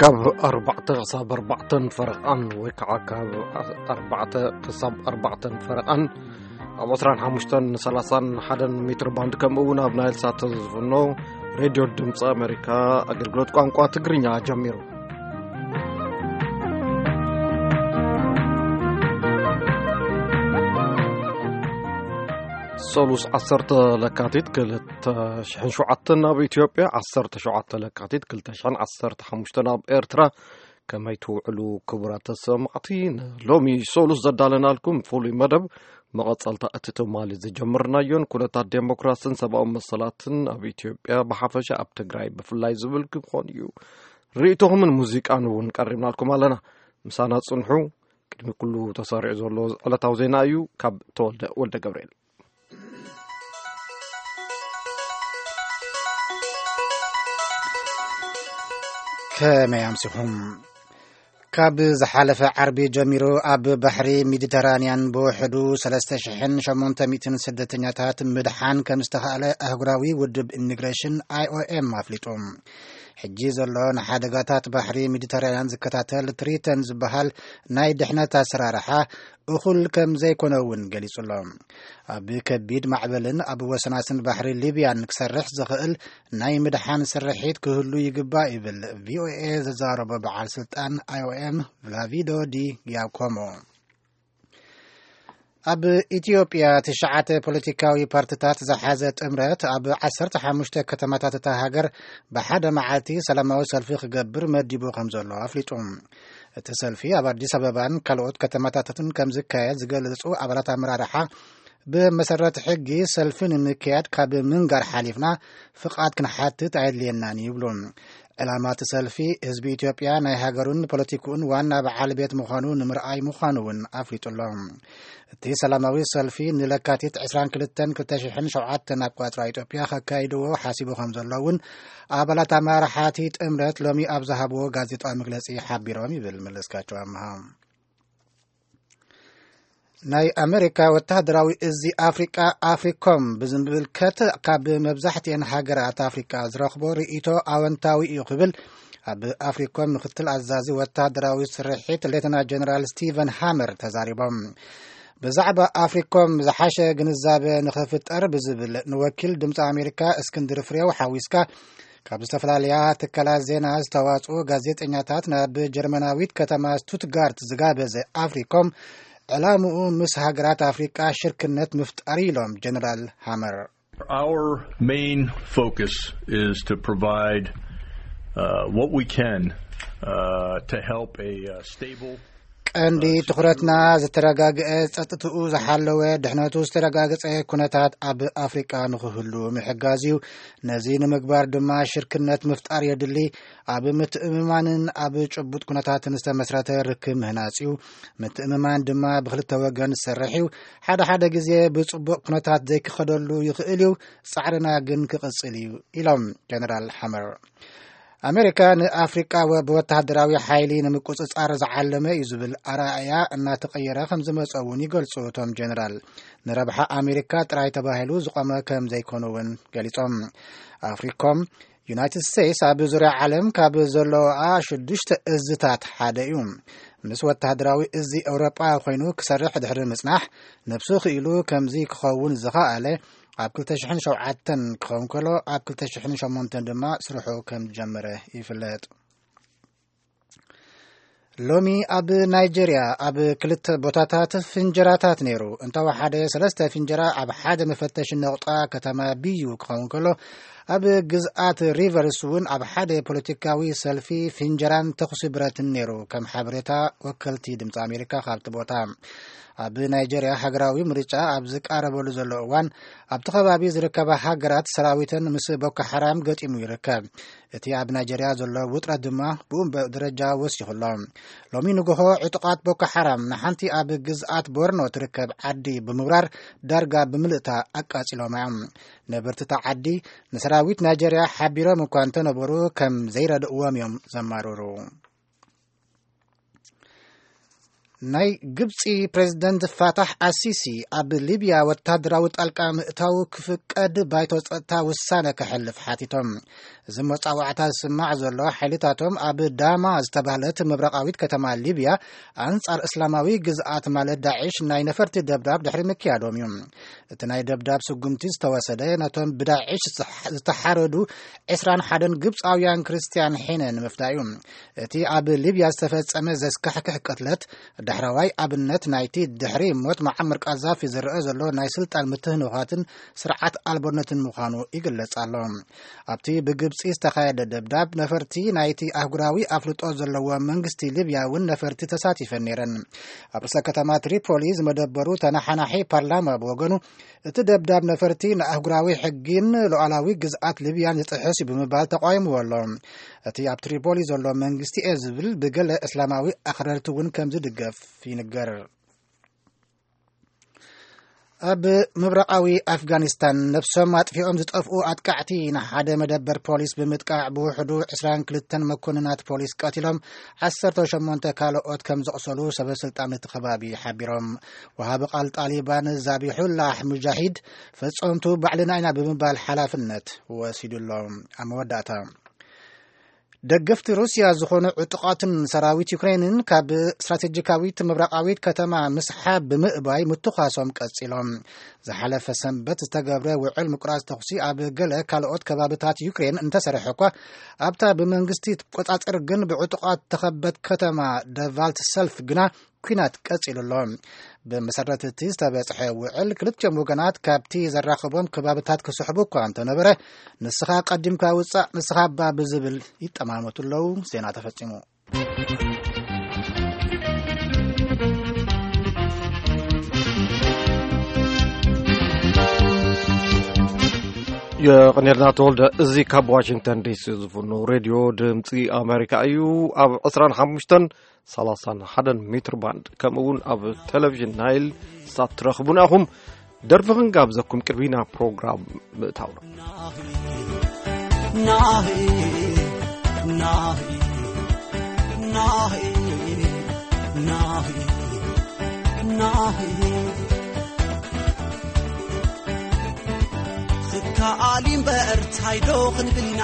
ካብ ኣርባዕተ ክሳብ ኣርባዕተን ፈረቓን ወይ ከዓ ካብ ኣርባዕተ ክሳብ ኣርባዕተን ፈረቓን ኣብ ዕስራን ሓሙሽተን ሰላሳን ሓደን ሜትር ባንድ፣ ከምኡ እውን ኣብ ናይል ሳት ዝፍኖ ሬድዮ ድምፂ ኣሜሪካ ኣገልግሎት ቋንቋ ትግርኛ ጀሚሩ። ሰሉስ ዓሰርተ ለካቲት ክልተ ሽሕን ሸውዓተን ኣብ ኢትዮጵያ፣ ዓሰርተ ሸውዓተ ለካቲት ክልተ ሽሕን ዓሰርተ ሓሙሽተን ኣብ ኤርትራ። ከመይ ትውዕሉ ክቡራት ተሰማዕቲ? ንሎሚ ሰሉስ ዘዳለናልኩም ፍሉይ መደብ መቐጸልታ እቲ ትማሊ ዝጀመርናዮን ኩነታት ዴሞክራስን ሰብኣዊ መሰላትን ኣብ ኢትዮጵያ ብሓፈሻ ኣብ ትግራይ ብፍላይ ዝብል ክኾን እዩ። ርእይቶኹምን ሙዚቃን እውን ቀሪብናልኩም ኣለና። ምሳና ጽንሑ። ቅድሚ ኩሉ ተሰሪዑ ዘሎ ዕለታዊ ዜና እዩ። ካብ ተወልደ ወልደ ገብርኤል። ከመይ ኣምሲኹም? ካብ ዝሓለፈ ዓርቢ ጀሚሩ ኣብ ባሕሪ ሜዲተራንያን ብውሕዱ ሰለስተ ሽሕን ሸሞንተ ሚእትን ስደተኛታት ምድሓን ከም ዝተኻእለ ኣህጉራዊ ውድብ ኢሚግሬሽን፣ ኣይኦኤም፣ ኣፍሊጡ። ሕጂ ዘሎ ንሓደጋታት ባሕሪ ሜዲተራንያን ዝከታተል ትሪተን ዝበሃል ናይ ድሕነት ኣሰራርሓ እኹል ከም ዘይኮነ እውን ገሊጹ ኣሎ። ኣብ ከቢድ ማዕበልን ኣብ ወሰናስን ባሕሪ ሊብያን ክሰርሕ ዝኽእል ናይ ምድሓን ስርሒት ክህሉ ይግባእ ይብል ቪኦኤ ዘዛረቦ በዓል ስልጣን ኣይኦኤም ቭላቪዶ ዲ ጊያኮሞ። ኣብ ኢትዮጵያ ትሽዓተ ፖለቲካዊ ፓርቲታት ዝሓዘ ጥምረት ኣብ ዓሰርተ ሓሙሽተ ከተማታት እታ ሃገር ብሓደ መዓልቲ ሰላማዊ ሰልፊ ክገብር መዲቡ ከም ዘሎ ኣፍሊጡ። እቲ ሰልፊ ኣብ ኣዲስ ኣበባን ካልኦት ከተማታትን ከም ዝካየድ ዝገልጹ ኣባላት ኣመራርሓ፣ ብመሰረት ሕጊ ሰልፊ ንምክያድ ካብ ምንጋር ሓሊፍና ፍቓድ ክንሓትት ኣየድልየናን ይብሉ። ዕላማ እቲ ሰልፊ፣ ህዝቢ ኢትዮጵያ ናይ ሃገሩን ፖለቲክኡን ዋና በዓል ቤት ምዃኑ ንምርኣይ ምዃኑ እውን ኣፍሊጡ ኣሎ። እቲ ሰላማዊ ሰልፊ ንለካቲት ዕስራን ክልተን ክልተ ሽሕን ሸውዓተን ኣቆጻጽራ ኢትዮጵያ ከካይድዎ ሓሲቡ ከም ዘሎ እውን ኣባላት ኣመራርሓ እቲ ጥምረት ሎሚ ኣብ ዝሃብዎ ጋዜጣዊ መግለጺ ሓቢሮም ይብል መለስካቸው ኣምሃ። ናይ ኣሜሪካ ወታደራዊ እዚ ኣፍሪቃ፣ ኣፍሪኮም፣ ብዝምልከት ካብ መብዛሕትኤን ሃገራት ኣፍሪቃ ዝረኽቦ ርእይቶ ኣወንታዊ እዩ ክብል ኣብ ኣፍሪኮም ምክትል ኣዛዚ ወታደራዊ ስርሒት ሌተና ጀነራል ስቲቨን ሃመር ተዛሪቦም። ብዛዕባ ኣፍሪኮም ዝሓሸ ግንዛበ ንኽፍጠር ብዝብል ንወኪል ድምፂ ኣሜሪካ እስክንድር ፍሬው ሓዊስካ ካብ ዝተፈላለያ ትካላት ዜና ዝተዋፅኡ ጋዜጠኛታት ናብ ጀርመናዊት ከተማ ስቱትጋርት ዝጋበዘ ኣፍሪኮም፣ ዕላምኡ ምስ ሃገራት ኣፍሪቃ ሽርክነት ምፍጣር ኢሎም ጀነራል ሃመር። Our main focus is to provide uh, what we can uh, to help a uh, stable ቀንዲ ትኹረትና ዝተረጋግአ፣ ጸጥትኡ ዝሓለወ፣ ድሕነቱ ዝተረጋገጸ ኩነታት ኣብ ኣፍሪቃ ንኽህሉ ምሕጋዝ እዩ። ነዚ ንምግባር ድማ ሽርክነት ምፍጣር የድሊ። ኣብ ምትእምማንን ኣብ ጭቡጥ ኩነታትን ዝተመስረተ ርክብ ምህናጽ እዩ። ምትእምማን ድማ ብኽልተ ወገን ዝሰርሕ እዩ። ሓደ ሓደ ግዜ ብጽቡቕ ኩነታት ዘይክኸደሉ ይኽእል እዩ። ጻዕርና ግን ክቕጽል እዩ ኢሎም ጀነራል ሓመር። ኣሜሪካ ንኣፍሪቃ ወ-፣ ብወተሃደራዊ ሓይሊ ንምቁጽጻር ዝዓለመ እዩ ዝብል ኣረኣእያ እናተቐየረ ከም ዝመጸ እውን ይገልጹ እቶም ጀነራል። ንረብሓ ኣሜሪካ ጥራይ ተባሂሉ ዝቖመ ከም ዘይኮነ እውን ገሊጾም። ኣፍሪኮም፣ ዩናይትድ ስቴትስ ኣብ ዙርያ ዓለም ካብ ዘለዋ ሽዱሽተ እዝታት ሓደ እዩ። ምስ ወተሃደራዊ እዚ ኤውሮጳ ኮይኑ ክሰርሕ ድሕሪ ምጽናሕ፣ ነብሱ ክኢሉ ከምዚ ክኸውን ዝኸኣለ ኣብ ክልተ ሽሕን ሸውዓተን ክኸውን ከሎ፣ ኣብ ክልተ ሽሕን ሸሞንተን ድማ ስርሑ ከም ዝጀመረ ይፍለጥ። ሎሚ ኣብ ናይጀርያ ኣብ ክልተ ቦታታት ፍንጀራታት ነይሩ። እንተወሓደ ሰለስተ ፍንጀራ ኣብ ሓደ መፈተሺ ነቑጣ ከተማ ቢዩ ክኸውን ከሎ፣ ኣብ ግዝኣት ሪቨርስ እውን ኣብ ሓደ ፖለቲካዊ ሰልፊ ፍንጀራን ተኹሲ ብረትን ነይሩ፣ ከም ሓበሬታ ወከልቲ ድምፂ ኣሜሪካ ካብቲ ቦታ። ኣብ ናይጀርያ ሃገራዊ ምርጫ ኣብ ዝቃረበሉ ዘሎ እዋን፣ ኣብቲ ከባቢ ዝርከባ ሃገራት ሰራዊተን ምስ ቦኮ ሓራም ገጢሙ ይርከብ። እቲ ኣብ ናይጀርያ ዘሎ ውጥረት ድማ ብኡ ደረጃ ወሲኹ ኣሎ። ሎሚ ንግሆ ዕጡቓት ቦኮ ሓራም ንሓንቲ ኣብ ግዝኣት ቦርኖ ትርከብ ዓዲ ብምብራር ዳርጋ ብምልእታ ኣቃጺሎም እዮም። ነበርቲ እታ ዓዲ ንሰራዊት ናይጀርያ ሓቢሮም እኳ እንተነበሩ ከም ዘይረድእዎም እዮም ዘማርሩ። ናይ ግብጺ ፕሬዝደንት ፋታሕ ኣሲሲ ኣብ ሊብያ ወታደራዊ ጣልቃ ምእታው ክፍቀድ ባይቶ ጸጥታ ውሳነ ከሕልፍ ሓቲቶም። እዚ መጻዋዕታ ዝስማዕ ዘሎ ሓይልታቶም ኣብ ዳማ ዝተባህለት ምብራቓዊት ከተማ ሊብያ ኣንጻር እስላማዊ ግዝኣት ማለት ዳዕሽ ናይ ነፈርቲ ደብዳብ ድሕሪ ምክያዶም እዩ። እቲ ናይ ደብዳብ ስጉምቲ ዝተወሰደ ነቶም ብዳዕሽ ዝተሓ-፣ ዝተሓረዱ ዕስራን ሓደን ግብጻውያን ክርስትያን ሒነ ንምፍዳይ እዩ። እቲ ኣብ ሊብያ ዝተፈጸመ ዘስካሕክሕ ቅትለት ዳሕረዋይ ኣብነት ናይቲ ድሕሪ ሞት መዓመር ቃዛፊ ዝረአ ዘሎ ናይ ስልጣን ምትህንዃትን ስርዓት ኣልቦነትን ምዃኑ ይግለጽ ኣሎ። ኣብቲ ብግብጺ ዝተኻየደ ደብዳብ ነፈርቲ ናይቲ ኣህጉራዊ ኣፍልጦ ዘለዎ መንግስቲ ሊብያ እውን ነፈርቲ ተሳቲፈን ነይረን። ኣብ ርእሰ ከተማ ትሪፖሊ ዝመደበሩ ተነሓናሒ ፓርላማ ብወገኑ እቲ ደብዳብ ነፈርቲ ንኣህጉራዊ ሕጊን ሉዓላዊ ግዝኣት ሊብያን ዝጥሕስ እዩ ብምባል ተቃይምዎ ኣሎ። እቲ ኣብ ትሪፖሊ ዘሎ መንግስቲ እየ ዝብል ብገለ እስላማዊ ኣኽረርቲ እውን ከም ዝድገፍ ይንገር። ኣብ ምብራቓዊ ኣፍጋኒስታን ነብሶም ኣጥፊኦም ዝጠፍኡ ኣጥቃዕቲ ንሓደ መደበር ፖሊስ ብምጥቃዕ ብውሕዱ ዕስራን ክልተን መኮንናት ፖሊስ ቀቲሎም ዓሰርተ ሸሞንተ ካልኦት ከም ዘቑሰሉ ሰበ ስልጣን እቲ ከባቢ ሓቢሮም። ወሃቢ ቃል ጣሊባን ዛቢሑላህ ሙጃሂድ ፈጸምቱ ባዕልና ኢና ብምባል ሓላፍነት ወሲዱ ኣሎ። ኣብ መወዳእታ ደገፍቲ ሩስያ ዝኾኑ ዕጡቓትን ሰራዊት ዩክሬንን ካብ ስትራቴጂካዊት ምብራቓዊት ከተማ ምስሓብ ብምእባይ ምትኳሶም ቀጺሎም። ዝሓለፈ ሰንበት ዝተገብረ ውዕል ምቁራጽ ተኹሲ ኣብ ገለ ካልኦት ከባብታት ዩክሬን እንተሰርሐ እኳ ኣብታ ብመንግስቲ ትቆጻጸር ግን ብዕጡቓት ተኸበት ከተማ ደቫልት ሰልፍ ግና ኲናት ቀጺሉ ኣሎ። ብመሰረት እቲ ዝተበጽሐ ውዕል ክልቲኦም ወገናት ካብቲ ዘራኽቦም ከባብታት ክስሕቡ እኳ እንተነበረ ንስኻ ቀዲምካ ውጻእ ንስኻ እባ ብዝብል ይጠማመቱ ኣለዉ። ዜና ተፈጺሙ። የቐኔልና ተወልደ። እዚ ካብ ዋሽንግተን ዲሲ ዝፍኖ ሬድዮ ድምፂ ኣሜሪካ እዩ። ኣብ ዕስራን ሓሙሽተን ሰላሳን ሓደን ሜትር ባንድ ከምኡ እውን ኣብ ቴሌቪዥን ናይል ሳት ትረኽቡና ኢኹም። ደርፊ ክንጋብዘኩም ቅድሚና ፕሮግራም ምእታውና። ናሂ ናሂ ናሂ ናሂ ናሂ ናሂ ክከኣል እምበር ታይ ዶ ክንብል ኢና?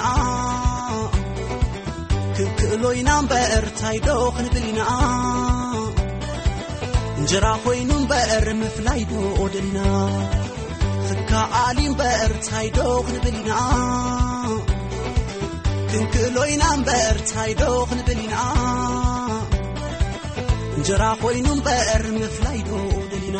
ክንክእሎ ኢና እምበር ታይ ዶ ክንብል ኢና? እንጀራ ኮይኑ እምበር ምፍላይ ዶ ደሊና? ክከኣል እምበር ታይ ዶ ክንብል ኢና? ክንክእሎ ኢና እምበር ታይ ዶ ክንብል ኢና? እንጀራ ኮይኑ እምበር ምፍላይ ዶ ደሊና?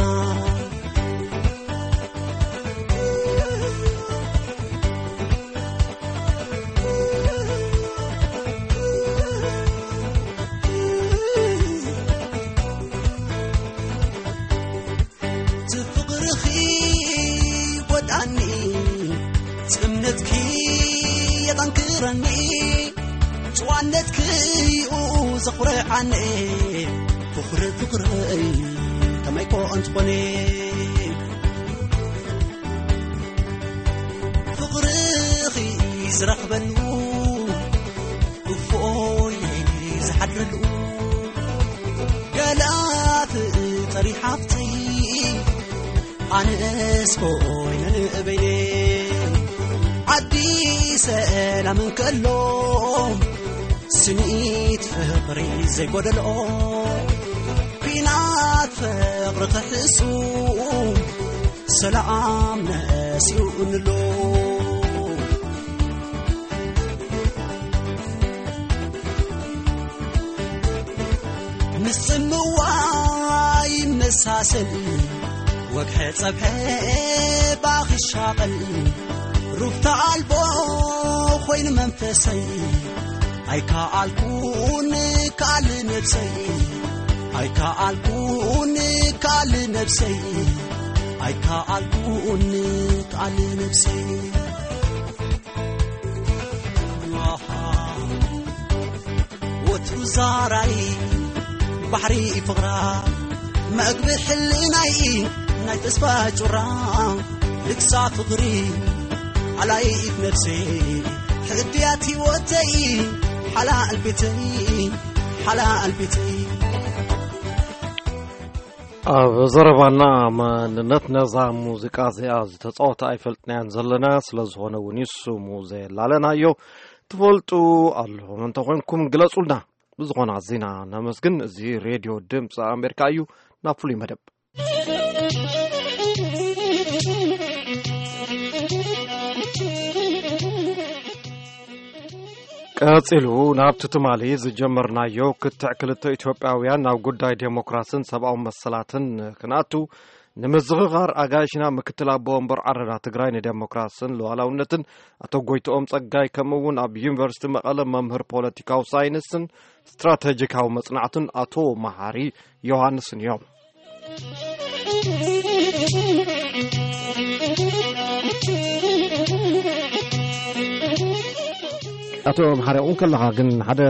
እቲ ፍቕርኺ ይጎድኣኒ፣ እምነትኪ የጠንክረኒ፣ ጭዋነትኪ እዩ ዘኹርዓኒ። ፍቕሪ ፍቕረይ ከመይ ኮ እንትኾነ፣ ፍቕርኺ ዝረኽበሉ እፎይ ዝሓድረሉ፣ ገለ ፍጠሪ ሓፍተይ ኣነስ ኮይነ ንእበይነ። ዓዲ ሰላም እንከሎ ስኒት ፍቕሪ ዘይጎደልኦ፣ ኲናት ፍቕሪ ክሕሱ ሰላም ነሲኡ እንሎ። ምስ ጽምዋ ይመሳሰል ወግሐ ጸብሐ ባኺ ሻቐል፣ ሩፍታ ኣልቦ ኮይኑ መንፈሰይ ኣይከኣልኩን ክኣል ነብሰይ፣ ኣይከኣልኩን ክኣል ነብሰይ፣ ኣይከኣልኩን ክኣል ነብሰይ። ወትሩ ዛራይ ባሕሪ ፍቕራ፣ መግቢ ሕልናይ ናይ ተስፋ ጩራ፣ ልግሳ ፍቕሪ ኣላይት ነብሰይ፣ ሕድያት ህይወተይ፣ ሓላል ቤተይ፣ ሓላል ቤተይ። ኣብ ዘረባና መንነት ነዛ ሙዚቃ እዚኣ ዝተጻወተ ኣይፈልጥናያን ዘለና፣ ስለ ዝኾነ እውን እዩ ስሙ ዘየላለናዮ። ትፈልጡ ኣለኹም እንተኾይንኩም ግለጹልና። ብዝኾነ ኣዚና ነመስግን። እዚ ሬድዮ ድምፂ ኣሜሪካ እዩ። ናብ ፍሉይ መደብ። ቀጺሉ ናብቲ ትማሊ ዝጀመርናዮ ክትዕ ክልተ ኢትዮጵያውያን ናብ ጉዳይ ዴሞክራስን ሰብኣዊ መሰላትን ክንኣቱ፣ ንምዝኽኻር ኣጋይሽና ምክትል ኣቦ ወንበር ዓረና ትግራይ ንዴሞክራስን ሉዓላውነትን ኣቶ ጎይትኦም ጸጋይ፣ ከምኡ እውን ኣብ ዩኒቨርሲቲ መቐለ መምህር ፖለቲካዊ ሳይንስን ስትራቴጂካዊ መጽናዕትን ኣቶ መሓሪ ዮሃንስን እዮም። ኣቶ መሓሪ፣ እውን ከለኻ ግን ሓደ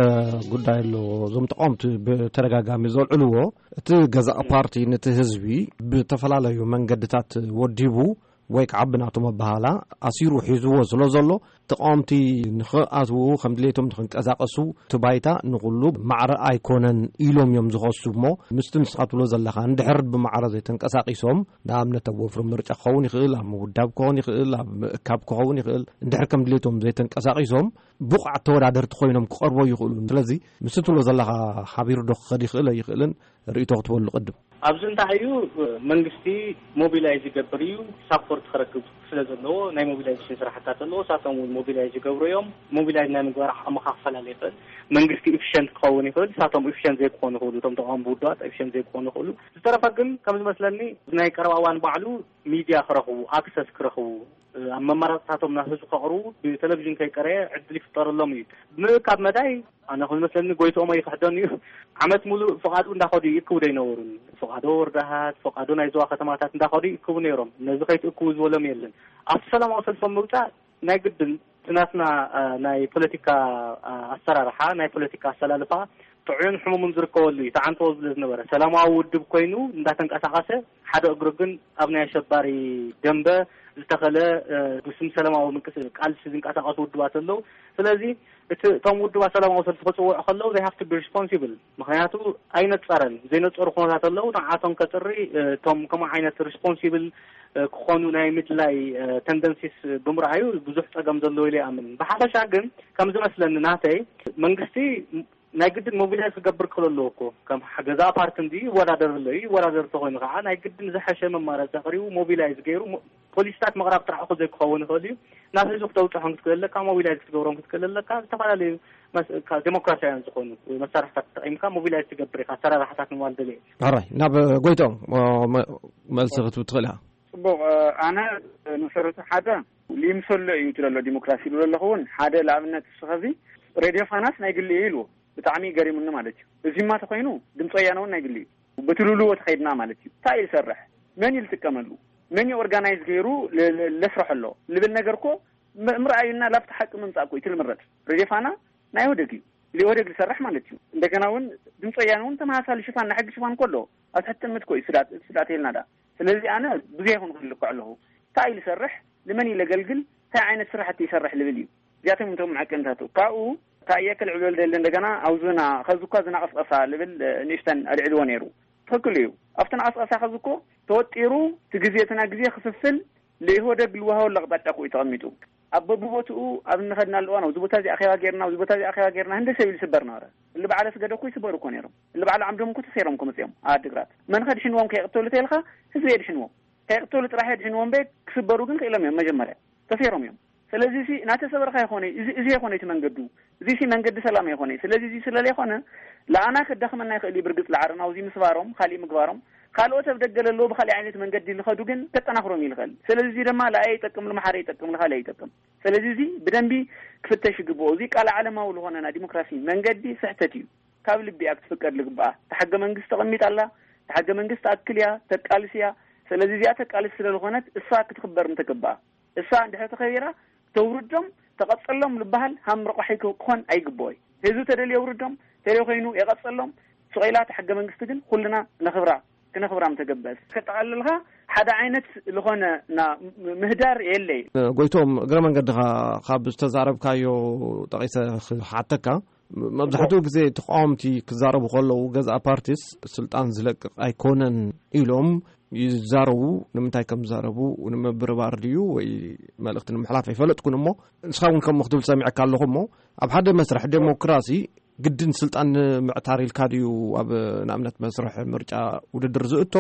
ጉዳይ ኣሎ። እዞም ተቃወምቲ ብተደጋጋሚ ዘልዕልዎ፣ እቲ ገዛእ ፓርቲ ነቲ ህዝቢ ብተፈላለዩ መንገድታት ወዲቡ ወይ ከዓ ብናቶም ኣበሃላ ኣሲሩ ሒዝዎ ስለ ዘሎ፣ ተቃወምቲ ንኽኣትዉ ከም ድሌቶም ንኽንቀሳቀሱ እቲ ባይታ ንኹሉ ማዕረ ኣይኮነን ኢሎም እዮም ዝኸሱ። እሞ ምስቲ ንስኻ ትብሎ ዘለኻ፣ እንድሕር ብማዕረ ዘይተንቀሳቂሶም፣ ንኣብነት ኣብ ወፍሪ ምርጫ ክኸውን ይኽእል፣ ኣብ ምውዳብ ክኸውን ይኽእል፣ ኣብ ምእካብ ክኸውን ይኽእል፣ እንድሕር ከም ድሌቶም ዘይተንቀሳቂሶም ብቑዓት ተወዳደርቲ ኮይኖም ክቐርቦ ይኽእሉ። ስለዚ ምስቲ ትብሎ ዘለኻ ሓቢሩ ዶ ክኸድ ይኽእል ኣይኽእልን ርእይቶ ክትበሉ ቅድም። ኣብዚ እንታይ እዩ፣ መንግስቲ ሞቢላይዝ ይገብር እዩ፣ ሳፖርት ክረክብ ስለ ዘለዎ ናይ ሞቢላይዜሽን ስራሕታት ኣለዎ። እሳቶም እውን ሞቢላይዝ ይገብሩ እዮም። ሞቢላይዝ ናይ ምግባር ዓቕሚ ክፈላለ ይኽእል። መንግስቲ ኢፊሸንት ክኸውን ይኽእል፣ እሳቶም ኢፊሸንት ዘይክኾኑ ይኽእሉ። እቶም ተቃወምቲ ውድባት ኢፊሸንት ዘይክኾኑ ይኽእሉ። ዝተረፈ ግን ከም ዝመስለኒ ናይ ቀረባ እዋን ባዕሉ ሚድያ ክረኽቡ፣ ኣክሰስ ክረኽቡ፣ ኣብ መመራፅታቶም ናብ ህዝቢ ከቕርቡ ብቴሌቪዥን ከይቀረየ ዕድል ይፍጠረሎም እዩ። ምእካብ መዳይ ኣነ ከም ዝመስለኒ ጎይትኦም ኣይክሕደን እዩ። ዓመት ሙሉእ ፍቓዱ እንዳኸዱ ይእክቡ ዶ ኣይነበሩን? ፍቓዶ ወርዳሃት፣ ፍቓዶ ናይ ዞባ ከተማታት እንዳኸዱ ይእክቡ ነይሮም። ነዚ ከይትእክቡ ዝበሎም የለን። ኣብቲ ሰላማዊ ሰልፎም ምውፃእ ናይ ግድን እቲ ናትና፣ አ፣ ናይ ፖለቲካ፣ አ፣ ኣሰራርሓ፣ ናይ ፖለቲካ ኣሰላልፋ ጥዑይን ሕሙምን ዝርከበሉ እዩ። ተዓንተዎ ዝብለ ዝነበረ ሰላማዊ ውድብ ኮይኑ እንዳተንቀሳቐሰ ሓደ እግሩ ግን ኣብ ናይ ኣሸባሪ ደንበ ዝተኸለ፣ እ፣ ብስም ሰላማዊ ምንቅስ-፣ ቃልሲ ዝንቀሳቐሱ ውድባት ኣለዉ። ስለዚ እቲ፣ እቶም ውድባት ሰላማዊ ሰልፊ ክጽውዑ ከለዉ they have to be responsible። ምኽንያቱ ኣይነጸረን። ዘይነጸሩ ኩነታት ኣለዉ። ንዓቶም ከጽሪ፣ እ፣ እቶም ከምኡ ዓይነት ሪስፖንሲብል፣ እ፣ ክኾኑ ናይ ምድላይ፣ እ፣ ተንደንሲስ ብምርኣዩ ብዙሕ ጸገም ዘለዎ ኢለ ይኣምን። ብሓፈሻ ግን ከም ዝመስለኒ ናተይ መንግስቲ ናይ ግድን ሞቢላይዝ ክገብር ክኽእል ኣለዎ እኮ። ከም ገዛ ፓርቲ እንዲ ይወዳደር ኣሎ እዩ። ይወዳደር ተኾይኑ ከዓ ናይ ግድን ዝሐሸ መማረፂ ኣቕሪቡ ሞቢላይዝ ገይሩ ሞ-፣ ፖሊሲታት ምቕራብ ጥራሕ እኮ ዘይክኸውን ይኽእል እዩ። ናብ ህዝቢ ክተውፅሖም ክትክእል ኣለካ፣ ሞቢላይዝ ክትገብሮም ክትክእል ኣለካ። ዝተፈላለዩ መስ-፣ ካ-፣ ዴሞክራሲያውያን ዝኾኑ መሳርሕታት ተጠቒምካ ሞቢላይዝ ትገብር ኢኻ፣ ኣሰራርሓታት ምባል ደልየ። ሕራይ፣ ናብ ጎይቶም፣ ሞ-፣ መ-፣ መልሲ ክትብ ትኽእል ኢኻ። ጽቡቕ፣ ኣነ ንሰረቱ ሓደ ይምሰሎ እዩ ትለሎ ዲሞክራሲ ይብሎ ኣለኹ እውን ሓደ ለኣብነት እስኸዚ ሬድዮ ፋናስ ናይ ግሊ እዩ ኢልዎ። ብጣዕሚ ገሪሙኒ ማለት እዩ። እዚማ ተኾይኑ ድምፂ ወያነ እውን ናይ ግሊ እዩ። በቲ ልውልዎ ተኸይድና ማለት እዩ። እንታይ እዩ ዝሰርሕ? መን እዩ ዝጥቀመሉ? መን እዩ ኦርጋናይዝ ገይሩ ለ-፣ ለ-፣ ለስርሖ ኣሎ? ልብል ነገር እኮ ም-፣ ምርኣዩና ላብቲ ሓቂ ምምፃእ እኮ እዩ እቲ ልምረፅ። ሬድዮ ፋና ናይ ኢህወደግ እዩ። ልኢህወደግ ዝሰርሕ ማለት እዩ። እንደገና እውን ድምፂ ወያነ እውን ተመሳሳሊ ሽፋን ናይ ሕጊ ሽፋን እኮ ኣለዎ። ኣብ ትሕቲ ጥምት እኮ እዩ ስዳት፣ ስዳት የልና ዳ። ስለዚ ኣነ ብዙ ይኹን ክልክዕ ኣለኹ። እንታይ እዩ ዝሰርሕ? ንመን እዩ ለገልግል? እንታይ ዓይነት ስራሕቲ ይሰርሕ ልብል እዩ። እዚኣቶም እንቶም መዐቀንታቱ። ካብኡ እንታይ እየ ክልዕል ደሊ እንደገና ኣብ ዙና፣ ከዚ እኳ ዝና ቀስቀሳ ልብል፣ እ፣ ንእሽተን ኣልዕልዎ ነይሩ። ትኽክል እዩ። ኣብቲ ናቀስቀሳ ከዚ እኮ ተወጢሩ እቲ ግዜ፣ እቲ ናይ ግዜ ክፍፍል ለኢህወደግ ልወሃበሉ ኣቕጣጫ እኮ እዩ ተቐሚጡ። ኣብ በብቦትኡ ኣብ እንኸድናሉ እዋን፣ ኣብዚ ቦታ እዚ ኣኼባ ጌርና፣ ኣብዚ ቦታ እዚ ኣኼባ ጌርና፣ ህንደሰ ኢሉ ይስበር ነበረ። እሊ በዓል ኣስገደ እኮ ይስበሩ እኮ ነይሮም። እሊ በዓል ዓምዶም እኮ ተሰይሮም እኮ መጺኦም ኣብ ዓድግራት። መን ከድሕንዎም ከየቕተሉ ተይልካ፣ ህዝቢ የድሕንዎም። ከየቕተሉ ጥራሕ የድሕንዎም እምበር፣ ክስበሩ ግን ክኢሎም እዮም መጀመርያ። ተሰይሮም እዮም። ስለዚ እዚ እናተሰበርካ ይኾነ፣ እዚ፣ እዚ ይኾነ እቲ መንገዱ። እዚ እዚ መንገዲ ሰላም ኣይኮነ። ስለዚ እዚ ስለ ዘይኮነ፣ ለኣና ከዳኽመና ይኽእል እዩ። ብርግጽ ለዓረና ኣብዚ ምስባሮም፣ ካሊእ ምግባሮም፣ ካልኦት ኣብ ደገ ለለዉ ብኻሊእ ዓይነት መንገዲ ልኸዱ ግን ከጠናኽሮም እዩ ልኽእል። ስለዚ እዚ ድማ ለኣየ ይጠቅም፣ ልመሓረ ይጠቅም፣ ልኻሊእ ይጠቅም። ስለዚ እዚ ብደንቢ ክፍተሽ ይግብኦ። እዚ ቃል ዓለማዊ ልኾነ ናይ ዲሞክራሲ መንገዲ ስሕተት እዩ። ካብ ልቢ እያ ክትፍቀድ ልግብኣ። እታ ሕገ መንግስቲ ተቐሚጣ ኣላ። እታ ሕገ መንግስቲ ትኣክል እያ፣ ተቃልስ እያ። ስለዚ እዚኣ ተቃልስ ስለ ዝኾነት እሳ ክትኽበር ምተገባኣ። እሳ እንድሕር ተኸቢራ፣ ተውርዶም፣ ተቐጸሎም ልበሃል ሃም ረቋሒ ክኾን ኣይግብኦይ። ህዝቢ ተደልዮ የውርዶም፣ ተደልዮ ኮይኑ የቐጸሎም። ስቕ ኢላ እታ ሕገ መንግስቲ ግን ኩልና ነኽብራ፣ ክነኽብራ ምተገበአስ። ከጠቓልልካ ሓደ ዓይነት ዝኾነ ና-፣ ምህዳር የለይ። ጎይቶም፣ እግረ መንገድኻ ካብ ዝተዛረብካዮ ጠቒሰ ክሓተካ፣ መብዛሕትኡ ግዜ ተቃወምቲ ክዛረቡ ከለዉ፣ ገዛእ ፓርቲስ ስልጣን ዝለቅቕ ኣይኮነን ኢሎም ይዛረቡ። ንምንታይ ከም ዝዛረቡ ንምብርባር ድዩ ወይ መልእኽቲ ንምሕላፍ ኣይፈለጥኩን እሞ፣ ንስኻ እውን ከምኡ ክትብል ሰሚዐካ ኣለኹ እሞ፣ ኣብ ሓደ መስርሕ ዴሞክራሲ ግድን ስልጣን ንምዕታር ኢልካ ድዩ ኣብ ንኣብነት መስርሕ ምርጫ ውድድር ዝእቶ፣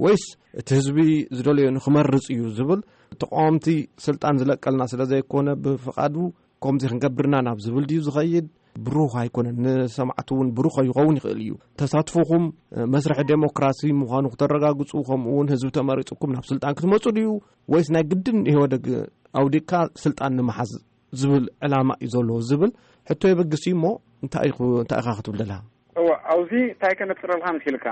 ወይስ እቲ ህዝቢ ዝደለዮ ንክመርጽ እዩ ዝብል? ተቃወምቲ ስልጣን ዝለቀልና ስለ ዘይኮነ ብፍቓዱ ከምዚ ክንገብርና ናብ ዝብል ድዩ ዝኸይድ? ብሩህ ኣይኮነን። ንሰማዕቲ እውን ብሩህ ከይኸውን ይኽእል እዩ። ተሳትፎኹም መስርሕ ዴሞክራሲ ምዃኑ ክተረጋግጹ፣ ከምኡ እውን ህዝቢ ተመሪጹኩም ናብ ስልጣን ክትመጹ ድዩ? ወይስ ናይ ግድን ኢህወደግ ኣውዲቕካ ስልጣን ንምሓዝ ዝብል ዕላማ እዩ ዘለዎ ዝብል ሕቶ የበግስ እዩ እሞ፣ እንታይ ኢኹ-፣ እንታይ ኢኻ ክትብል ደለኻ? እወ፣ ኣብዚ እንታይ ከነጽረልካ መሲልካ?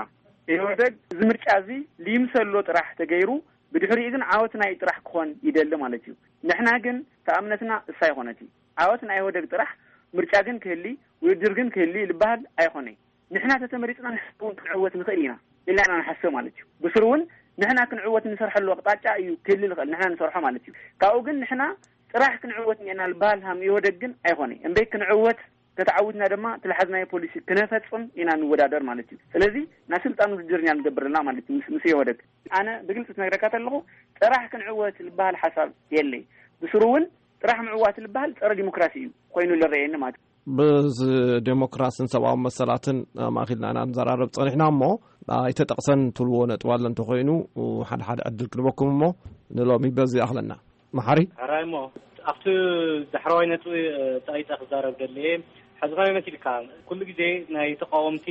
ኢህወደግ እዚ ምርጫ እዚ ሊምሰሎ ጥራሕ ተገይሩ፣ ብድሕሪኡ ግን ዓወት ናይ ጥራሕ ክኾን ይደሊ ማለት እዩ። ንሕና ግን ተኣምነትና እሳ ይኾነት እዩ። ዓወት ናይ ኢህወደግ ጥራሕ፣ ምርጫ ግን ክህሊ፣ ውድድር ግን ክህሊ ዝበሃል ኣይኾነይ። ንሕና ተተመሪጽና ንሕና እውን ክንዕወት ንኽእል ኢና ኢልና ኢና ንሓስብ ማለት እዩ። ብስሩ እውን ንሕና ክንዕወት ንሰርሐሉ ኣቕጣጫ እዩ ክህሊ ዝኽእል፣ ንሕና ንሰርሖ ማለት እዩ። ካብኡ ግን ንሕና ጥራሕ ክንዕወት እኒአና ዝበሃል ሃም ኢህወደግ ግን ኣይኾነይ። እምበይ ክንዕወት ከተዓውትና ድማ ትልሓዝናዮ ፖሊሲ ክነፈጽም ኢና ንወዳደር ማለት እዩ። ስለዚ ናይ ስልጣን ውድድር ኢና ንገብር ዘለና ማለት እዩ። ምስ፣ ምስ ኢህወደግ ኣነ ብግልጺ ትነግረካ ተለኹ ጥራሕ ክንዕወት ዝበሃል ሓሳብ የለይ። ብስሩ እውን ጥራሕ ምዕዋት ዝበሃል ጸረ ዲሞክራሲ እዩ ኮይኑ ዝረኣየኒ ማለት እዩ። ብዚ ዴሞክራስን ሰብኣዊ መሰላትን ኣማእኪልና ኢና ንዘራረብ ጸኒሕና እሞ፣ ኣይተጠቕሰን ትብልዎ ነጥቢ ኣሎ እንተኾይኑ፣ ሓደ ሓደ ዕድል ክንበኩም እሞ፣ ንሎሚ በዚ ይኣኽለና። መሓሪ? ሕራይ እሞ፣ ኣብቲ ዳሕረዋይ ነጥቢ፣ እ፣ ጣይጣ ክዛረብ ደልየ። ሕዚ ከመይ መሲልካ፣ ኩሉ ግዜ ናይ ተቃወምቲ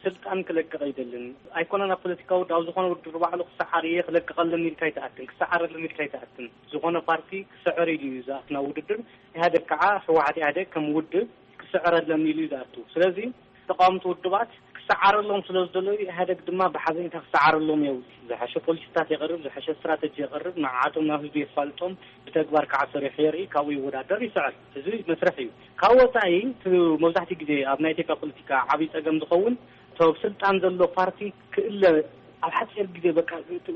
ስልጣን ክለቅቕ ኣይደልን። ኣይኮነን ኣብ ፖለቲካዊ ውድብ፣ ኣብ ዝኾነ ውድድር ባዕሉ ክሰዓር እየ ክለቅቐለን ኢልካ ኣይትኣትን፣ ክሰዓረለን ኢልካ ኣይትኣትን። ዝኾነ ፓርቲ ክስዕር ኢሉ እዩ ዝኣቱ ናብ ውድድር። ኢህኣደግ ከዓ፣ ህወሓት ኢህኣደግ ከም ውድብ ክስዕረለን ኢሉ እዩ ዝኣቱ። ስለዚ ተቃወምቲ ውድባት ክሰዓረሎም ስለ ዝደለዩ፣ ኢህኣደግ ድማ ብሓዘኔታ ክሰዓረሎም የብሉ። ዝሐሸ ፖሊሲታት የቕርብ፣ ዝሐሸ ስትራተጂ የቕርብ፣ ንዓቶም ናብ ህዝቢ የፋልጦም፣ ብተግባር ከዓ ሰሪሑ የርኢ፣ ካብኡ ይወዳደር፣ ይስዕር። እዚ መስርሕ እዩ። ካብ ወፃኢ፣ እቲ መብዛሕትኡ ግዜ ኣብ ናይ ኢትዮጵያ ፖለቲካ ዓብዪ ፀገም ዝኸውን፣ እቶም ስልጣን ዘሎ ፓርቲ ክእለ፣ ኣብ ሓፂር ግዜ በቃ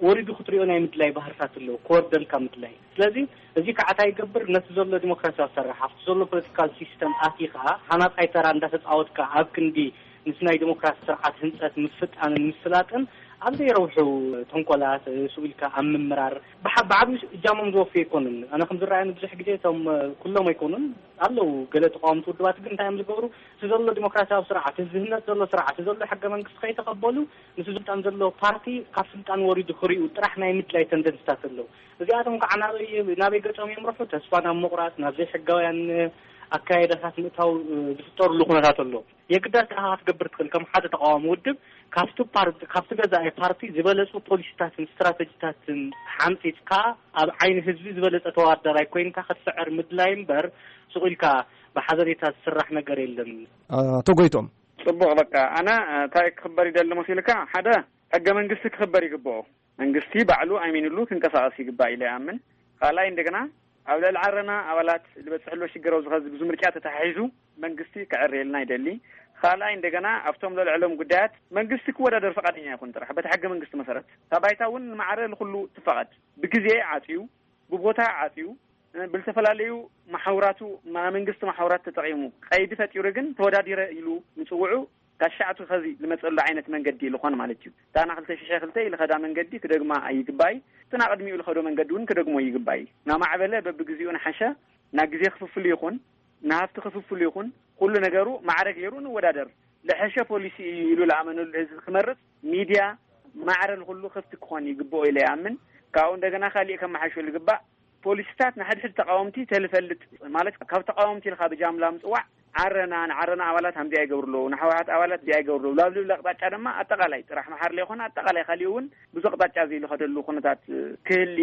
ወሪዱ ክትሪኦ ናይ ምድላይ ባህርታት ኣለዎ፣ ክወርደልካ ምድላይ። ስለዚ እዚ ከዓ እንታይ ይገብር? ነቲ ዘሎ ዲሞክራሲያዊ ኣሰራርሓ፣ ኣብቲ ዘሎ ፖለቲካል ሲስተም ኣትዩ ከዓ ሃናፃይ ተራ እንዳተፃወትካ ኣብ ክንዲ ምስ ናይ ዲሞክራሲ ስርዓት ህንፀት ምፍጣንን ምስላጥን ኣብ ዘይረብሑ ተንኮላት፣ ስኡ ኢልካ ኣብ ምምራር ብሓ-፣ ብዓብዩ እጃሞም ዝወፍዩ ኣይኮኑን። ኣነ ከም ዝረኣየኒ ብዙሕ ግዜ እቶም፣ ኩሎም ኣይኮኑን፣ ኣለዉ ገለ ተቃወምቲ ውድባት ግን እንታይ እዮም ዝገብሩ? እቲ ዘሎ ዲሞክራሲያዊ ስርዓት፣ እዚ ዝህነፅ ዘሎ ስርዓት፣ እዚ ዘሎ ሕገ መንግስቲ ከይተቐበሉ፣ ምስ ስልጣን ዘሎ ፓርቲ ካብ ስልጣን ወሪዱ ክሪኡ ጥራሕ ናይ ምድላይ ተንደንስታት ኣለዉ። እዚኣቶም ከዓ ናበይ፣ ናበይ ገጾም የምርሑ? ተስፋ ናብ ምቑራጽ፣ ናብ ዘይሕጋውያን ኣካይዳታት ምእታው፣ እ፣ ዝፍጠሩሉ ኩነታት ኣሎ። የግዳስ ንዓኻ ክትገብር ትኽእል፣ ከም ሓደ ተቃዋሚ ውድብ፣ ካብቲ ፓር-፣ ካብቲ ገዛኢ ፓርቲ ዝበለጹ ፖሊሲታትን ስትራተጂታትን ሓንጺጽካ፣ ኣብ ዓይኒ ህዝቢ ዝበለጸ ተወዳዳራይ ኮይንካ ክትስዕር ምድላይ እምበር፣ ስቕ ኢልካ ብሓበሬታ ዝስራሕ ነገር የለን። ኣቶ ጎይቶም። ጽቡቕ፣ በቃ፣ ኣነ፣ እ፣ እንታይ ክኽበር ይደሊ መሲልካ? ሓደ፣ ሕገ መንግስቲ ክኽበር ይግብኦ። መንግስቲ ባዕሉ ኣሚንሉ ክንቀሳቐስ ይግባእ ኢለ ይኣምን። ካልኣይ፣ እንደገና ኣብ ልዕሊ ዓረና ኣባላት ዝበፅሕ ኣሎ ሽግር ኣብዚ ኸዚ ብዙ ምርጫ ተተሓሒዙ መንግስቲ ክዕረየልና ይደሊ። ካልኣይ፣ እንደገና ኣብቶም ለልዕሎም ጉዳያት መንግስቲ ክወዳደር ፈቃደኛ ይኹን ጥራሕ በቲ ሕገ መንግስቲ መሰረት። እታ ባይታ እውን ንማዕረ ልኩሉ ትፈቐድ። ብግዜ ዓፅዩ፣ ብቦታ ዓፅዩ፣ ብልተፈላለዩ ማሕውራቱ፣ ማ-፣ መንግስቲ ማሕውራት ተጠቒሙ ቀይዲ ፈጢሩ ግን ተወዳዲረ ኢሉ ምፅውዑ ካብ ሻዕቱ ኸዚ ዝመፀሉ ዓይነት መንገዲ ልኾን ማለት እዩ። እታ ና ክልተ ሽሕ ክልተ ኢልኸዳ መንገዲ ክደግማ ኣይግባይ። እቲ ና ቅድሚኡ ልኸዶ መንገዲ እውን ክደግሞ ይግባይ። ናማዕበለ በብግዚኡ ንሓሸ፣ ና ግዜ ክፍፍሉ ይኹን፣ ንሃፍቲ ክፍፍሉ ይኹን፣ ኩሉ ነገሩ ማዕረ ገይሩ ንወዳደር። ልሐሸ ፖሊሲ እዩ ኢሉ ልኣመነሉ ህዝቢ ክመርጽ፣ ሚድያ ማዕረ ንኹሉ ክፍቲ ክኾን ይግብኦ ኢለ ይኣምን። ካብኡ እንደገና ካሊእ ከመሓሾ ልግባእ ፖሊሲታት ንሓድሕድ ተቃወምቲ ተልፈልጥ፣ ማለት ካብ ተቃወምቲ ኢልካ ብጃምላ ምጽዋዕ፣ ዓረና፣ ንዓረና ኣባላት ሃምዚ ኣይገብሩ ኣለዉ፣ ንሕወሓት ኣባላት እዚ ኣይገብሩ ኣለዉ፣ ላብ ልብል ኣቅጣጫ ድማ ኣጠቃላይ ጥራሕ መሓር ለይኮነ ኣጠቃላይ ካሊኡ እውን ብዙ ኣቅጣጫ እዚ ልኸደሉ ኩነታት ክህሊ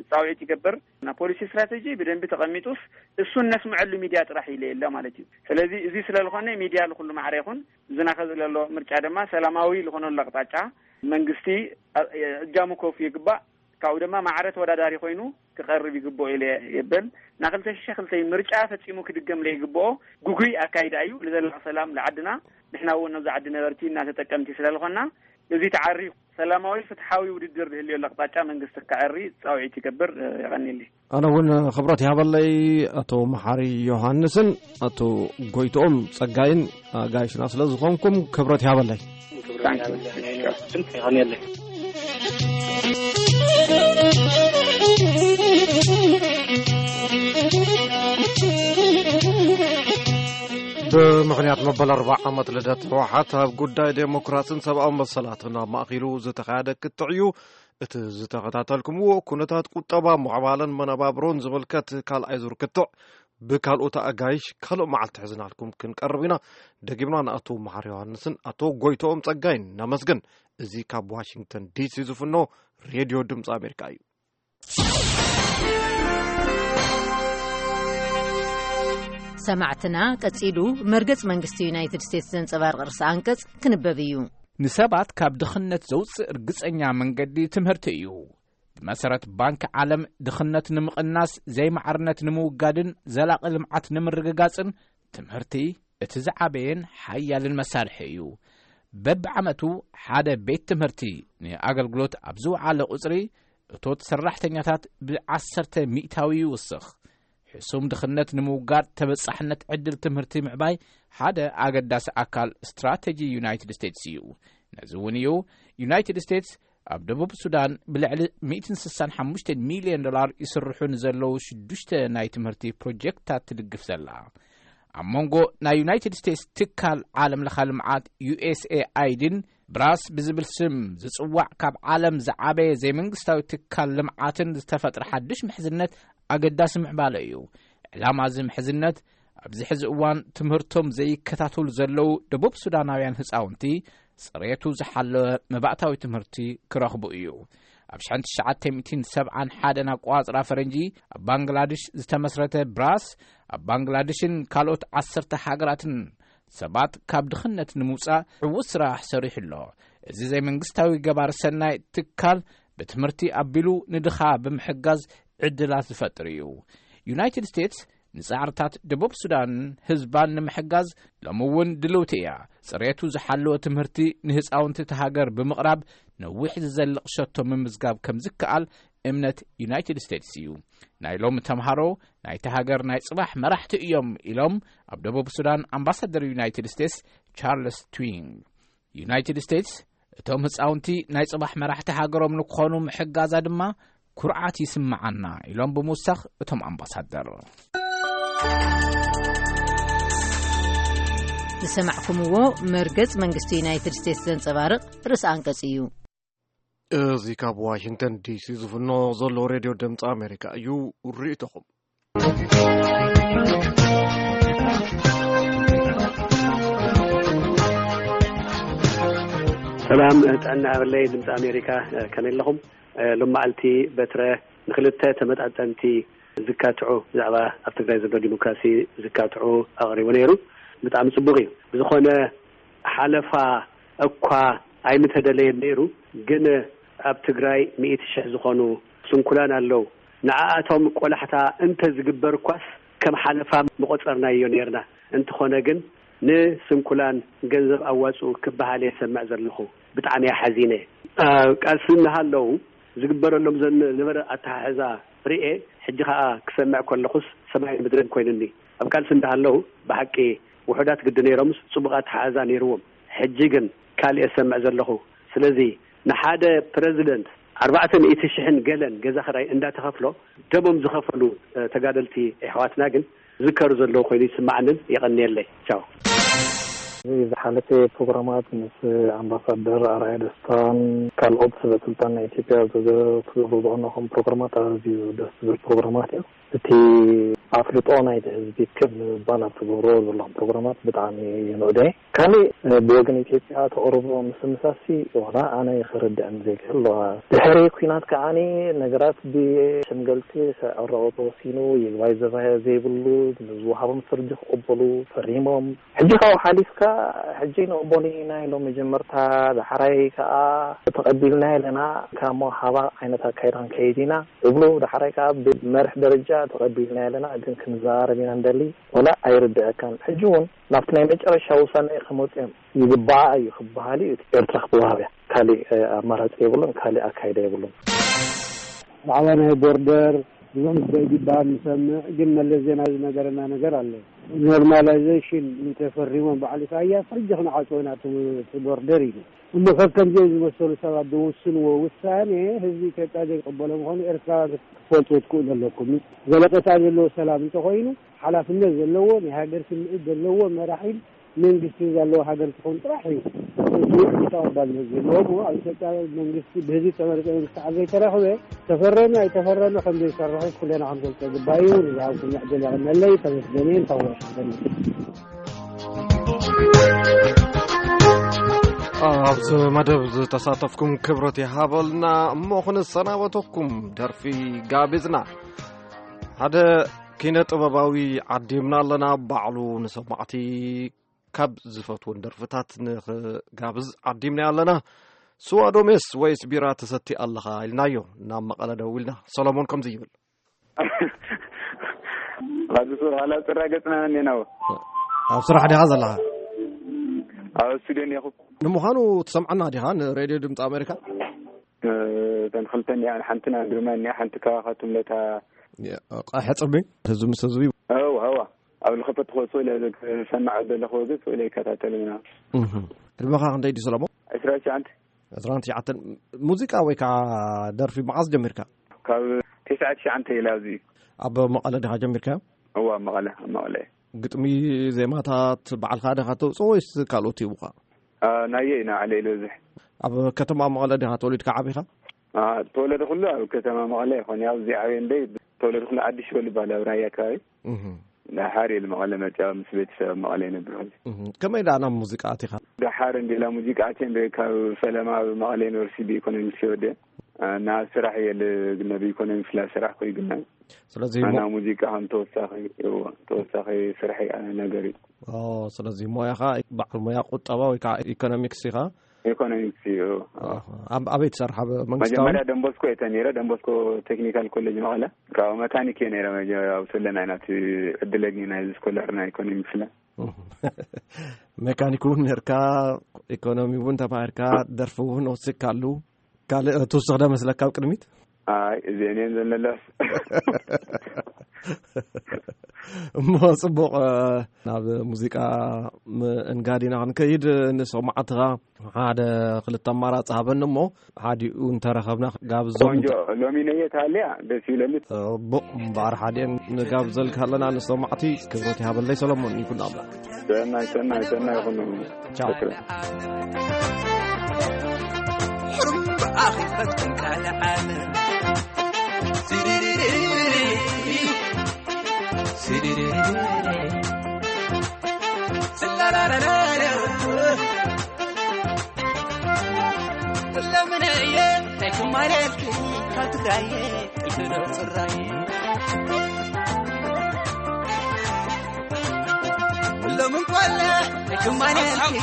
ጻውዒት ይገብር። ና ፖሊሲ ስትራተጂ ብደንቢ ተቐሚጡስ እሱን ነስምዐሉ ሚድያ ጥራሕ ኢለ የለ ማለት እዩ። ስለዚ እዚ ስለ ዝኾነ ሚድያ ልኩሉ ማዕረ ይኹን፣ ዝናኸ ዝለሎ ምርጫ ድማ ሰላማዊ ልኾነሉ ኣቅጣጫ መንግስቲ ኣ-፣ እጃሙ ከውፊ ይግባእ። ካብኡ ድማ ማዕረ ተወዳዳሪ ኮይኑ ክቐርብ ይግብኦ ኢለ የብል። ና ክልተ ሽሕ ክልተ ምርጫ ፈጺሙ ክድገም ለይግብኦ ጉጉይ ኣካይዳ እዩ። ንዘላቕ ሰላም ለዓድና፣ ንሕና እውን ነዚ ዓዲ ነበርቲ እና ተጠቀምቲ ስለ ዝኾንና፣ እዚ ተዓርዩ ሰላማዊ ፍትሓዊ ውድድር ዝህልየሉ ኣቕጣጫ መንግስቲ ክዕሪ ጻውዒት ይገብር። የቐንየለይ። ኣነ እውን ክብረት ይሃበለይ። ኣቶ መሓሪ ዮሃንስን ኣቶ ጎይትኦም ጸጋይን ኣጋይሽና ስለ ዝኾንኩም ክብረት ይሃበለይ። የቐንየለይ። ብምኽንያት መበል ኣርባዓ ዓመት ልደት ህወሓት ኣብ ጉዳይ ዴሞክራስን ሰብኣዊ መሰላትን ኣብ ማእኪሉ ዝተኻየደ ክትዕ እዩ። እቲ ዝተኸታተልኩምዎ ኩነታት ቁጠባ፣ ምዕባለን መነባብሮን ዝምልከት ካልኣይ ዙር ክትዕ ብካልኦት ኣጋይሽ ካልእ መዓልቲ ሕዝናልኩም ክንቀርብ ኢና። ደጊምና ንኣቶ መሓር ዮሃንስን ኣቶ ጎይቶኦም ጸጋይን ነመስግን። እዚ ካብ ዋሽንግተን ዲሲ ዝፍኖ ሬድዮ ድምፂ ኣሜሪካ እዩ። ሰማዕትና፣ ቀጺሉ መርገጽ መንግስቲ ዩናይትድ ስቴትስ ዘንጸባርቕ ርእሰ ኣንቀጽ ክንበብ እዩ። ንሰባት ካብ ድኽነት ዘውጽእ ርግጸኛ መንገዲ ትምህርቲ እዩ። ብመሰረት ባንኪ ዓለም፣ ድኽነት ንምቕናስ፣ ዘይማዕርነት ንምውጋድን ዘላቒ ልምዓት ንምርግጋጽን ትምህርቲ እቲ ዝዓበየን ሓያልን መሳርሒ እዩ። በብዓመቱ ሓደ ቤት ትምህርቲ ንኣገልግሎት ኣብ ዝወዓለ ቁጽሪ፣ እቶት ሰራሕተኛታት ብዓሰርተ ሚእታዊ ይውስኽ። ሕሱም ድኽነት ንምውጋድ ተበጻሕነት ዕድል ትምህርቲ ምዕባይ ሓደ ኣገዳሲ ኣካል ስትራተጂ ዩናይትድ ስቴትስ እዩ። ነዚ እውን እዩ ዩናይትድ ስቴትስ ኣብ ደቡብ ሱዳን ብልዕሊ ሚእትን ስሳን ሓሙሽተን ሚልዮን ዶላር ይስርሑ ንዘለዉ ሽዱሽተ ናይ ትምህርቲ ፕሮጀክትታት ትድግፍ ዘላ። ኣብ መንጎ ናይ ዩናይትድ ስቴትስ ትካል ዓለም ለኻ ልምዓት ዩ ኤስ ኤ ኣይ ዲን ብራስ ብዝብል ስም ዝጽዋዕ ካብ ዓለም ዝዓበየ ዘይመንግስታዊ ትካል ልምዓትን ዝተፈጥረ ሓድሽ ምሕዝነት ኣገዳሲ ምዕባለ እዩ። ዕላማ እዚ ምሕዝነት ኣብዚ ሕዚ እዋን ትምህርቶም ዘይከታተሉ ዘለዉ ደቡብ ሱዳናውያን ህፃውንቲ ጽሬቱ ዝሓለወ መባእታዊ ትምህርቲ ክረኽቡ እዩ። ኣብ ሽሕን ትሽዓተ ሚእትን ሰብዓን ሓደን ኣቋጽራ ፈረንጂ ኣብ ባንግላድሽ ዝተመስረተ ብራስ ኣብ ባንግላድሽን ካልኦት ዓሰርተ ሃገራትን ሰባት ካብ ድኽነት ንምውጻእ ዕዉት ስራሕ ሰሪሑ ኣሎ። እዚ ዘይመንግስታዊ ገባር ሰናይ ትካል ብትምህርቲ ኣቢሉ ንድኻ ብምሕጋዝ ዕድላት ዝፈጥር እዩ። ዩናይትድ ስቴትስ ንጻዕርታት ደቡብ ሱዳን ህዝባን ንምሕጋዝ ሎሚ እውን ድልውቲ እያ። ጽሬቱ ዝሓለወ ትምህርቲ ንህፃውንቲ እቲ ሃገር ብምቕራብ ነዊሕ ዝዘልቕ ሸቶ ምምዝጋብ ከም ዝከኣል እምነት ዩናይትድ ስቴትስ እዩ። ናይ ሎሚ ተምሃሮ ናይቲ ሃገር ናይ ጽባሕ መራሕቲ እዮም ኢሎም ኣብ ደቡብ ሱዳን ኣምባሳደር ዩናይትድ ስቴትስ ቻርልስ ትዊንግ። ዩናይትድ ስቴትስ እቶም ህፃውንቲ ናይ ጽባሕ መራሕቲ ሃገሮም ንክኾኑ ምሕጋዛ ድማ ኩርዓት ይስምዓና ኢሎም ብምውሳኽ እቶም ኣምባሳደር። ዝሰማዕኩምዎ መርገጽ መንግስቲ ዩናይትድ ስቴትስ ዘንጸባርቕ ርእሰ ኣንቀጽ እዩ። እዚ ካብ ዋሽንግተን ዲሲ ዝፍኖ ዘሎ ሬድዮ ድምፂ ኣሜሪካ እዩ። ርእይቶኹም። ሰላም ጥዕና ሃበለይ ድምፂ ኣሜሪካ፣ ከመይ ኣለኹም? ሎማዓልቲ በትረ ንክልተ ተመጣጠንቲ ዝካትዑ ብዛዕባ ኣብ ትግራይ ዘሎ ዲሞክራሲ ዝካትዑ ኣቕሪቡ ነይሩ። ብጣዕሚ ፅቡቅ እዩ። ብዝኾነ ሓለፋ እኳ ኣይምተደለየን ነይሩ፣ ግን ኣብ ትግራይ ሚእቲ ሽሕ ዝኾኑ ስንኩላን ኣለዉ። ንዓኣቶም ቆላሕታ እንተ ዝግበር እኳስ ከም ሓለፋ ምቆጸርናዮ ነይርና። እንተኾነ ግን ንስንኩላን ገንዘብ ኣዋጽኡ ክበሃል እየ ዝሰምዕ ዘለኹ። ብጣዕሚ እየ ሓዚነ። ቃልሲ እናሃለዉ ዝግበረሎም ዝነበረ ኣተሓሕዛ ርኤ፣ ሕጂ ኸኣ ክሰምዕ ከለኹስ ሰማይን ምድርን ኮይኑኒ። ኣብ ቃልሲ እንዳሃለዉ ብሓቂ ውሑዳት ግዲ ነይሮምስ ጽቡቕ ኣተሓሕዛ ነይርዎም። ሕጂ ግን ካልእ እየ ዝሰምዕ ዘለኹ። ስለዚ ንሓደ ፕረዚደንት ኣርባዕተ ሚእቲ ሽሕን ገለን ገዛ ኽራይ እንዳተኸፍሎ ደሞም ዝኸፈሉ ተጋደልቲ ኣሕዋትና ግን ዝከሩ ዘለዉ ኮይኑ ይስማዓንን። የቐንየለይ። ቻው። እዚ ዝሓለፈ ፕሮግራማት ምስ ኣምባሳደር ኣርኣያ ደስታን ካልኦት ሰበ ስልጣን ናይ ኢትዮጵያ ዝገ- ትገብሩ ዝቐነኹም ፕሮግራማት ኣዝዩ ደስ ዝብል ፕሮግራማት እዩ። እቲ ኣፍልጦ ናይቲ ህዝቢ ክብ ንምባል ኣብ ትገብርዎ ዘለኹም ፕሮግራማት ብጣዕሚ የንእዶ እየ። ካሊእ ብወገን ኢትዮጵያ ተቕርቦ ምስምሳሲ ዋላ ኣነ ክርድእን ዘይክእል ኣለዋ። ድሕሪ ኲናት ከዓኒ ነገራት ብሸምገልቲ ክዕረቑ ተወሲኑ፣ ይግባይ ዘባየ ዘይብሉ ንዝወሃቦም ፍርዲ ክቕበሉ ፈሪሞም። ሕጂ ካብኡ ሓሊፍካ ሕጂ ንቕበሉ ኢና ኢሎም መጀመርታ፣ ዳሕራይ ከኣ ተቐቢልና ኣለና ካብ መውሃባ ዓይነት ኣካይዳ ክንከይድ ኢና እብሉ፣ ዳሕራይ ከኣ ብመርሕ ደረጃ ተቐቢልና ኣለና ግን ክንዘራረብ ኢና እንደሊ። ወላ ኣይርድአካን። ሕጂ እውን ናብቲ ናይ መጨረሻ ውሳነ ክመፁ እዮም። ይግባኣ እዩ ክበሃል እዩ። ኤርትራ ክትወሃብ እያ። ካሊእ ኣማራፂ የብሉን፣ ካሊእ ኣካይዳ የብሉን። ብዛዕባ ናይ ቦርደር ብዙሕ ዝበሃል ይሰምዕ፣ ግን መለስ ዜናዊ ዝነገረና ነገር ኣሎ። ኖርማላይዜሽን እንተፈሪሞም በዓል ኢሳያስ ሕጂ ክንዓፅዎ ኢና እቲ ቦርደር ኢሉ። እሞ ከከምዚኦም ዝመሰሉ ሰባት ዝውስንዎ ውሳኔ ህዝቢ ኢትዮጵያ ዘይቅበሎ ምዃኑ ኤርትራውያን ክትፈልጡ ትክእሉ ኣለኩም። ዘለቐታ ዘለዎ ሰላም እንተኾይኑ ሓላፍነት ዘለዎ ናይ ሃገር ስምዒት ዘለዎ መራሒ መንግስቲ ዘለዎ ሃገር ትኾን ጥራሕ እዩ። እቲ ተቐባልነት ዘለዎ እሞ ኣብ ኢትዮጵያ መንግስቲ ብህዝቢ ተመረፀ መንግስቲ ኣብ ዘይተረኽበ ተፈረመ ኣይተፈረመ ከም ዘይሰርሑ ኩለና ክንፈልጦ ግባእ እዩ። ንዝሃብኩም ዕድል የቐነለይ። ተመስገን እየ። እንኳዕ ወሰደኒ። ኣብዚ መደብ ዝተሳተፍኩም ክብረት ይሃበልና። እሞ ክንሰናበተኩም ደርፊ ጋቢዝና ሓደ ኪነ ጥበባዊ ዓዲምና ኣለና። ባዕሉ ንሰማዕቲ ካብ ዝፈትወን ደርፍታት ንኽጋብዝ ዓዲምና ኣለና። ስዋ ዶ ሜስ ወይስ ቢራ ትሰቲ ኣለኻ ኢልናዮ። ናብ መቐለ ደዊልና ሰሎሞን ከምዚ ይብል። ራሱ ሱር ኋላ ጽራ ገጽና ነን የናው። ኣብ ስራሕ ዲኻ ዘለኻ? ኣብ ስቱድዮ እኒኹ። ንምዃኑ ትሰምዓና ዲኻ ንሬድዮ ድምፂ ኣሜሪካ? እ፣ እተን ክልተ እኒኣ፣ ሓንቲ ናይ ግርማይ እኒኣ፣ ሓንቲ ካባኻትም ለታ። የ-፣ ቃ-፣ ሕጽቢ፣ ህዝቢ ምስ ህዝቢ። እዋ፣ እዋ። ኣብ ልኸፈት ክወጽእ ኢለ ዝሰማዕ ዘለኹ ወገዝ ወይ ይከታተል ኢና። እህ። ዕድመኻ ክንደይ ድዩ ሰለሞን? ዕስራ ትሽዓተ። ዕስራን ትሽዓተን። ሙዚቃ ወይ ከዓ ደርፊ መዓስ ጀሚርካ? ካብ ተስዓን ትሽዓተን ኢለ ኣብዚ። ኣብ መቐለ ዲኻ ጀሚርካዮ? እዋ፣ ኣብ መቐለ፣ ኣብ መቐለ። ግጥሚ፣ ዜማታት ባዕልኻ ዲኻ ተውፅኦ ወይስ ካልኦት ይህቡኻ? አ፣ ናየ ኢና ዓለ ዝበዝሕ። ኣብ ከተማ መቐለ ዲኻ ተወሊድካ ዓቢኻ? አ፣ ተወለደ ኩሉ ኣብ ከተማ መቐለ ይኾን። ያው እዚ ዓብየ እንደይ ተወለደ ኩሉ ዓዲ ሽበል ይባል ኣብ ራያ ከባቢ። እህ። ደሓር ኢሉ መቐለ መፅያ ምስ ቤተሰብ ኣብ መቐለ ይነብር ኩሉ። እህ። ከመይ ደኣ ናብ ሙዚቃ ኣቲኻ? ደሓር እንዲላ ሙዚቃ ኣትየ እንደ ካብ ፈለማ ኣብ መቐለ ዩኒቨርሲቲ ብኢኮኖሚክስ ይወደ። አ፣ ናብ ስራሕ እየ ል-፣ ግና ብኢኮኖሚክስ ላ ስራሕ ኮይ ግና ስለዚ ኣና ሞ-፣ ሙዚቃ ከም ተወሳኺ፣ እዎ፣ ተወሳኺ ስራሕ እዩ፣ ኣነ ነገር እዩ። ኦ፣ ስለዚ ሞያኻ በዓል ሞያ ቁጠባ ወይ ከዓ ኢኮኖሚክስ ኢኻ? ኢኮኖሚክስ እዩ። ኣሃ። ኣብ-፣ ኣበይ ትሰርሕ? ኣብ መንግስታዊ? መጀመርያ ደንቦስኮ እየ ተኒረ፣ ደንቦስኮ ቴክኒካል ኮሌጅ መቐለ። ካብ መካኒክ እየ ነይረ፣ መጀ-፣ ኣብ ሰለና ኢና እቲ ዕድል ኣግኝና፣ እዚ ስኮላር ናይ ኢኮኖሚክስ ለ። ሜካኒክ እውን ነርካ፣ ኢኮኖሚ እውን ተማሂርካ፣ ደርፊ እውን ወሲድካሉ። ካልእ ትውስኽ ዶ መስለካ ኣብ ቅድሚት? ኣይ፣ እዚአን እየን ዘለለስ። እሞ ጽቡቕ፣ እ፣ ናብ ሙዚቃ ምእንጋድ ኢና ክንከይድ። ንሰማዕትኻ ሓደ ክልተ ኣማራጺ ሃበኒ እሞ፣ ሓዲኡ እንተረኸብና ክጋብዞም ቆንጆ፣ እንተ- ሎሚ ነየት ሃልያ ደስ ይብለኒ። ጽቡቕ እምበኣር፣ ሓዲአን ንጋብዘልካ ኣለና ንሰማዕቲ። ክብረት ይሃበለይ ሰሎሞን፣ ይኩን ኣምላኽ። ሰናይ፣ ሰናይ፣ ሰናይ ይኹን። ቻው። ሕሩም ብኣኺ ፈትኩም ካልእ ዓለም። ሲዲዲዲዲ፣ ሲዲዲዲዲ፣ ስላላላላላ። ለምን እየ ናይ ኩማሌልኪ ካብ ትግራይ ጥልፍዶ ጽራይ። ሎምን ቆለ ናይ ኩማሌልኪ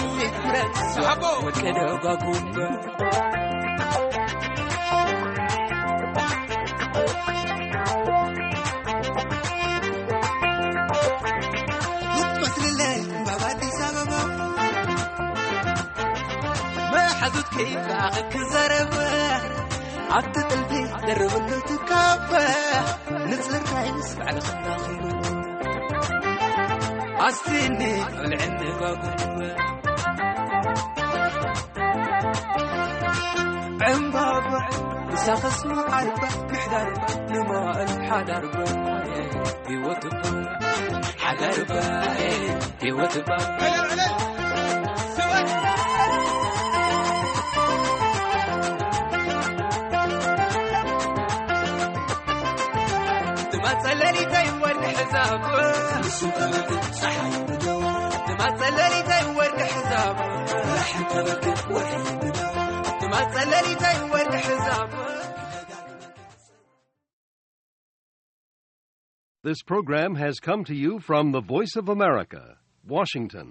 ምረት ወቀደ ጓጉ። ትመስልለይ እምባብ ኣዲስ ኣበባ። መሓዙት ከይፋ ክዛረብ ኣብቲ ጥልፊ ደርብሉ ትካበ። ንጽርካይ ምስ ባዕልኻ ራኺቡ ኣስቲኒ ቆልዕኒ ጓጉ። ዕምባባ ምሳኽስ መዓርባ ምሕዳርባ ንመዋእል ሓዳርባ ህይወትባ ሓዳርባ ህይወትባ። ትማጸለሊተይ ወርቂ ሕዛብ ንሱ ተበግድ ጸሓይ ብደዋ። ትማጸለሊተይ ወርቂ ሕዛብ ራሕን ተበግድ ወርሒ ብደዋ። ትማጸለሊተይ ወርቂ ሕዛብ። This program has come to you from the Voice of America, Washington.